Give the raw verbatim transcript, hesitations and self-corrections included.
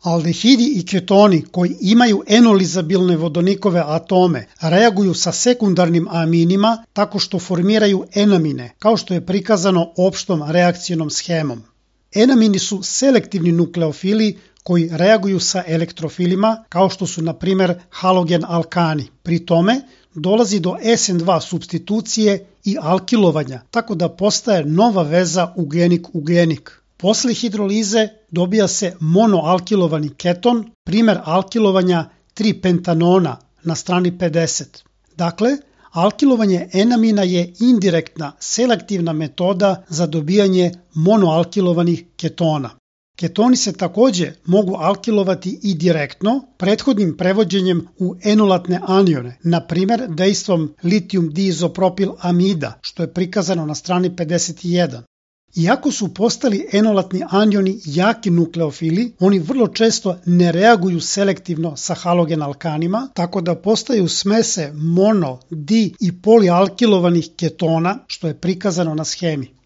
Aldehidi i ketoni koji imaju enolizabilne vodonikove atome reaguju sa sekundarnim aminima tako što formiraju enamine, kao što je prikazano opštom reakcijnom schemom. Enamini su selektivni nukleofili koji reaguju sa elektrofilima, kao što su na primer halogen alkani. Pri tome dolazi do es en dva supstitucije i alkilovanja, tako da postaje nova veza ugenik-ugenik. Posle hidrolize dobija se monoalkilovani keton, primer alkilovanja tri pentanona na strani pedeset. Dakle, alkilovanje enamina je indirektna, selektivna metoda za dobijanje monoalkilovanih ketona. Ketoni se takođe mogu alkilovati i direktno, prethodnim prevođenjem u enolatne anione, na primer dejstvom litijum diizopropil amida, što je prikazano na strani pedeset jedan. Iako su postali enolatni anioni jaki nukleofili, oni vrlo često ne reaguju selektivno sa halogen alkanima, tako da postaju smese mono, di i polialkilovanih ketona, što je prikazano na schemi.